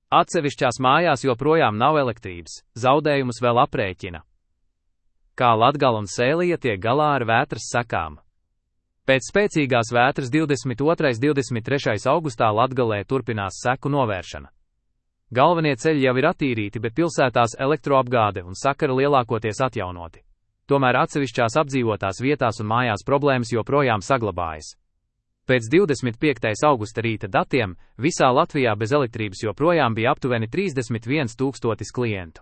Atsevišķās mājās joprojām nav elektrības, zaudējumus vēl aprēķina. Kā Latgala un Sēlija tiek galā ar vētras sekām? Pēc spēcīgās vētras 22. un 23. augustā Latgalē turpinās seku novēršana. Galvenie ceļi jau ir attīrīti, bet pilsētās elektroapgāde un sakari lielākoties atjaunoti. Tomēr atsevišķās apdzīvotās vietās un mājās problēmas joprojām saglabājas. Pēc 25. augusta rīta datiem visā Latvijā bez elektrības joprojām bija aptuveni 31 000 klientu.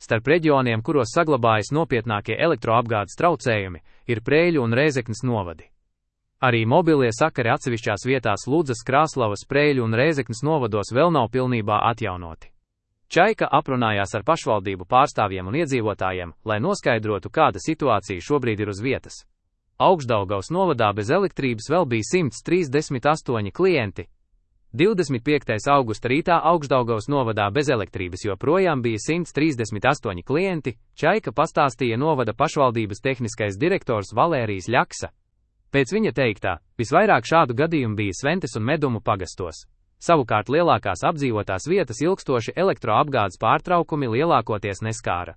Starp reģioniem, kuros saglabājas nopietnākie elektroapgādes traucējumi, ir Preiļu un Rēzeknes novadi. Arī mobilie sakari atsevišķās vietās Ludzas, Krāslavas, Preiļu un Rēzeknes novados vēl nav pilnībā atjaunoti. Čaika aprunājās ar pašvaldību pārstāvjiem un iedzīvotājiem, lai noskaidrotu, kāda situācija šobrīd ir uz vietas. Augšdaugavas novadā bez elektrības vēl bija 138 klienti. 25. augusta rītā Augšdaugavas novadā bez elektrības joprojām bija 138 klienti, Čaika pastāstīja novada pašvaldības tehniskais direktors Valērijs Ļaksa. Pēc viņa teiktā, visvairāk šādu gadījumu bija Sventes un Medumu pagastos. Savukārt lielākās apdzīvotās vietas ilgstoši elektroapgādes pārtraukumi lielākoties neskāra.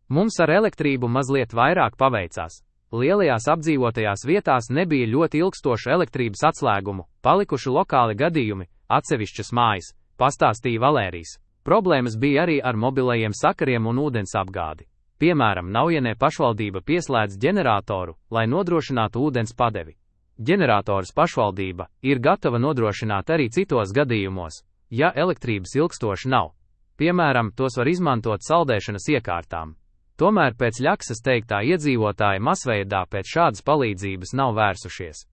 Mums ar elektrību mazliet vairāk paveicās. Lielajās apdzīvotajās vietās nebija ļoti ilgstošu elektrības atslēgumu, palikuši lokāli gadījumi, atsevišķas mājas, pastāstīja Valērijs. Problēmas bija arī ar mobilajiem sakariem un ūdens apgādi. Piemēram, Naujenē pašvaldība pieslēdz ģeneratoru, lai nodrošinātu ūdens padevi. Ģenerators pašvaldība ir gatava nodrošināt arī citos gadījumos, ja elektrības ilgstoši nav. Piemēram, tos var izmantot saldēšanas iekārtām. Tomēr pēc Ļaksas teiktā iedzīvotāji masveidā pēc šādas palīdzības nav vērsušies.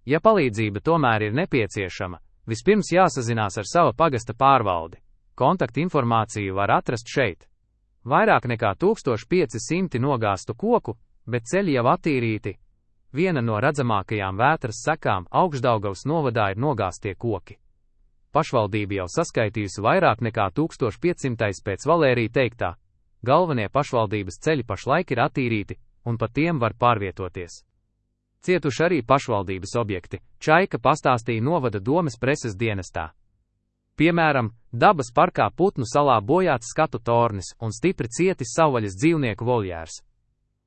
Ja palīdzība tomēr ir nepieciešama, vispirms jāsazinās ar sava pagasta pārvaldi. Kontaktinformāciju var atrast šeit. Vairāk nekā 1500 nogāztu koku, bet ceļi jau attīrīti. Viena no redzamākajām vētras sekām Augšdaugavas novadā ir nogāztie koki. Pašvaldība jau saskaitījusi vairāk nekā 1500 pēc Valērija teiktā. Galvenie pašvaldības ceļi pašlaik ir attīrīti, un pa tiem var pārvietoties. Cietuši arī pašvaldības objekti, Čaika pastāstīja novada domes preses dienestā. Piemēram, dabas parkā Putnu salā bojāts skatu tornis un stipri cietis savvaļas dzīvnieku voljērs.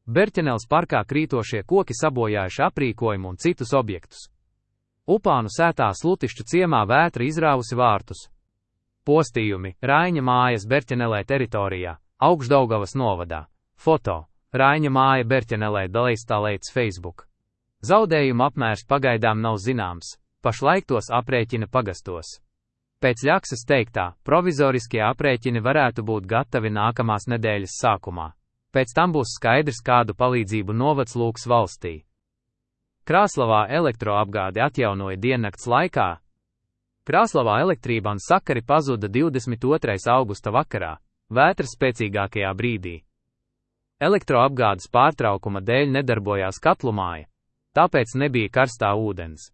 Berķeneles parkā krītošie koki sabojājuši aprīkojumu un citus objektus. Upānu sētā Slutišķu ciemā vētra izrāvusi vārtus. Postījumi, Raiņa mājas Berķenelē teritorijā. Augšdaugavas novadā. Foto. Raiņa māja Berķenelē dalīstālēts Facebook. Zaudējuma apmērs pagaidām nav zināms, pašlaik tos aprēķina pagastos. Pēc Ļaksas teiktā, provizoriskie aprēķini varētu būt gatavi nākamās nedēļas sākumā. Pēc tam būs skaidrs, kādu palīdzību novads lūgs valstī. Krāslavā elektroapgādi atjaunoja diennakts laikā. Krāslavā elektrība un sakari pazuda 22. augusta vakarā. Vētras spēcīgākajā brīdī. Elektroapgādes pārtraukuma dēļ nedarbojās katlumāja, tāpēc nebija karstā ūdens.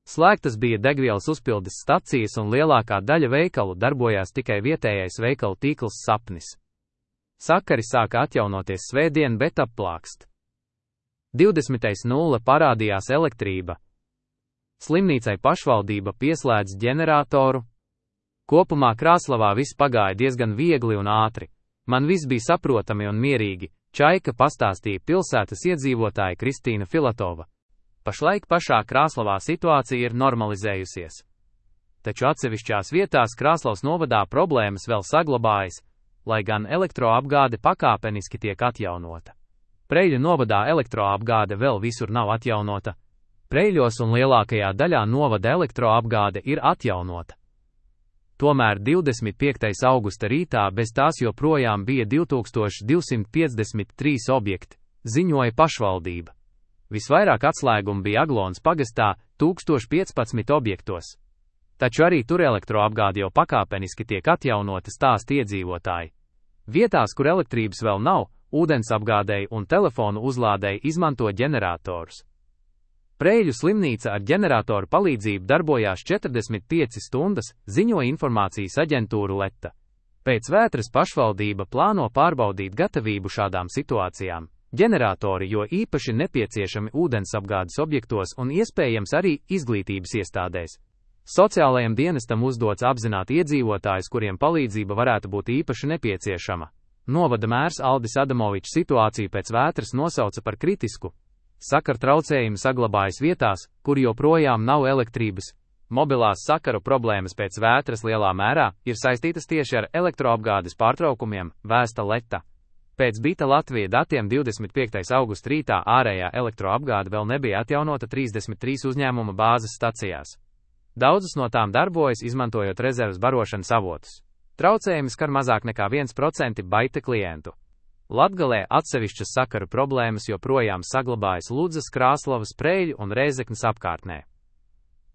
Slēgtas bija degvielas uzpildes stacijas un lielākā daļa veikalu darbojās tikai vietējais veikalu tīkls Sapnis. Sakari sāka atjaunoties svētdien, bet applākst. 20.0 parādījās elektrība. Slimnīcai pašvaldība pieslēdz ģeneratoru. Kopumā Krāslavā viss pagāja diezgan viegli un ātri. Man viss bija saprotami un mierīgi, Čaika pastāstīja pilsētas iedzīvotāja Kristīna Filatova. Pašlaik pašā Krāslavā situācija ir normalizējusies. Taču atsevišķās vietās Krāslavas novadā problēmas vēl saglabājas, lai gan elektroapgāde pakāpeniski tiek atjaunota. Preiļu novadā elektroapgāde vēl visur nav atjaunota. Preiļos un lielākajā daļā novada elektroapgāde ir atjaunota. Tomēr 25. augusta rītā bez tās joprojām bija 2253 objekti, ziņoja pašvaldība. Visvairāk atslēgumu bija Aglons pagastā, 1015 objektos. Taču arī tur elektroapgāde jau pakāpeniski tiek atjaunota, stāsta iedzīvotāji. Vietās, kur elektrības vēl nav, ūdensapgādēji un telefonu uzlādēji izmanto ģeneratorus. Preiļu slimnīca ar ģeneratoru palīdzību darbojās 45 stundas, ziņoja informācijas aģentūra Letta. Pēc vētras pašvaldība plāno pārbaudīt gatavību šādām situācijām. Ģeneratori jo īpaši nepieciešami ūdensapgādes objektos un iespējams arī izglītības iestādēs. Sociālajam dienestam uzdots apzināt iedzīvotājus, kuriem palīdzība varētu būt īpaši nepieciešama. Novada mērs Aldis Adamovičs situāciju pēc vētras nosauca par kritisku. Sakaru traucējumi saglabājas vietās, kur joprojām nav elektrības. Mobilās sakaru problēmas pēc vētras lielā mērā ir saistītas tieši ar elektroapgādes pārtraukumiem, vēsta Leta. Pēc Bita Latvija datiem 25. augusta rītā ārējā elektroapgāde vēl nebija atjaunota 33 uzņēmuma bāzes stacijās. Daudzas no tām darbojas, izmantojot rezerves barošanas avotus. Traucējumi skar mazāk nekā 1% Baita klientu. Latgalē atsevišķas sakaru problēmas joprojām saglabājas Ludzas, Krāslavas, Preiļu un Rēzeknes apkārtnē.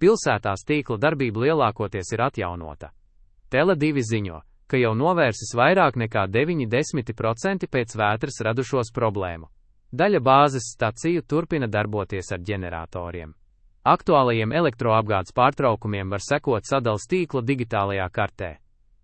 Pilsētās tīkla darbība lielākoties ir atjaunota. Tele2 ziņo, ka jau novērsis vairāk nekā 90% pēc vētras radušos problēmu. Daļa bāzes staciju turpina darboties ar ģeneratoriem. Aktuālajiem elektroapgādes pārtraukumiem var sekot sadales tīkla digitālajā kartē.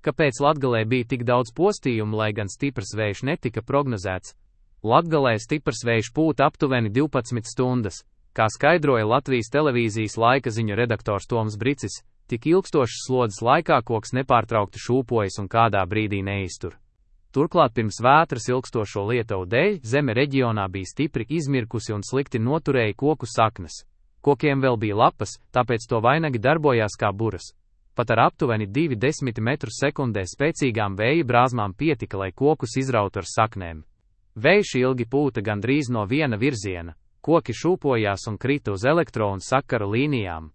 Kāpēc Latgalē bija tik daudz postījumu, lai gan stiprs vējš netika prognozēts? Latgalē stiprs vējš pūta aptuveni 12 stundas, kā skaidroja Latvijas televīzijas laika ziņu redaktors Toms Bricis. Tik ilgstošas slodzes laikā koks nepārtraukti šūpojas un kādā brīdī neiztur. Turklāt pirms vētras ilgstošo lietuvu dēļ zeme reģionā bija stipri izmirkusi un slikti noturēja koku saknes. Kokiem vēl bija lapas, tāpēc to vainagi darbojās kā buras. Pat ar aptuveni 2,10 m/sekundē spēcīgām vēja brāzmām pietika, lai kokus izrautu ar saknēm. Vējš ilgi pūta gandrīz no viena virziena, koki šūpojās un krita uz elektro un sakaru līnijām.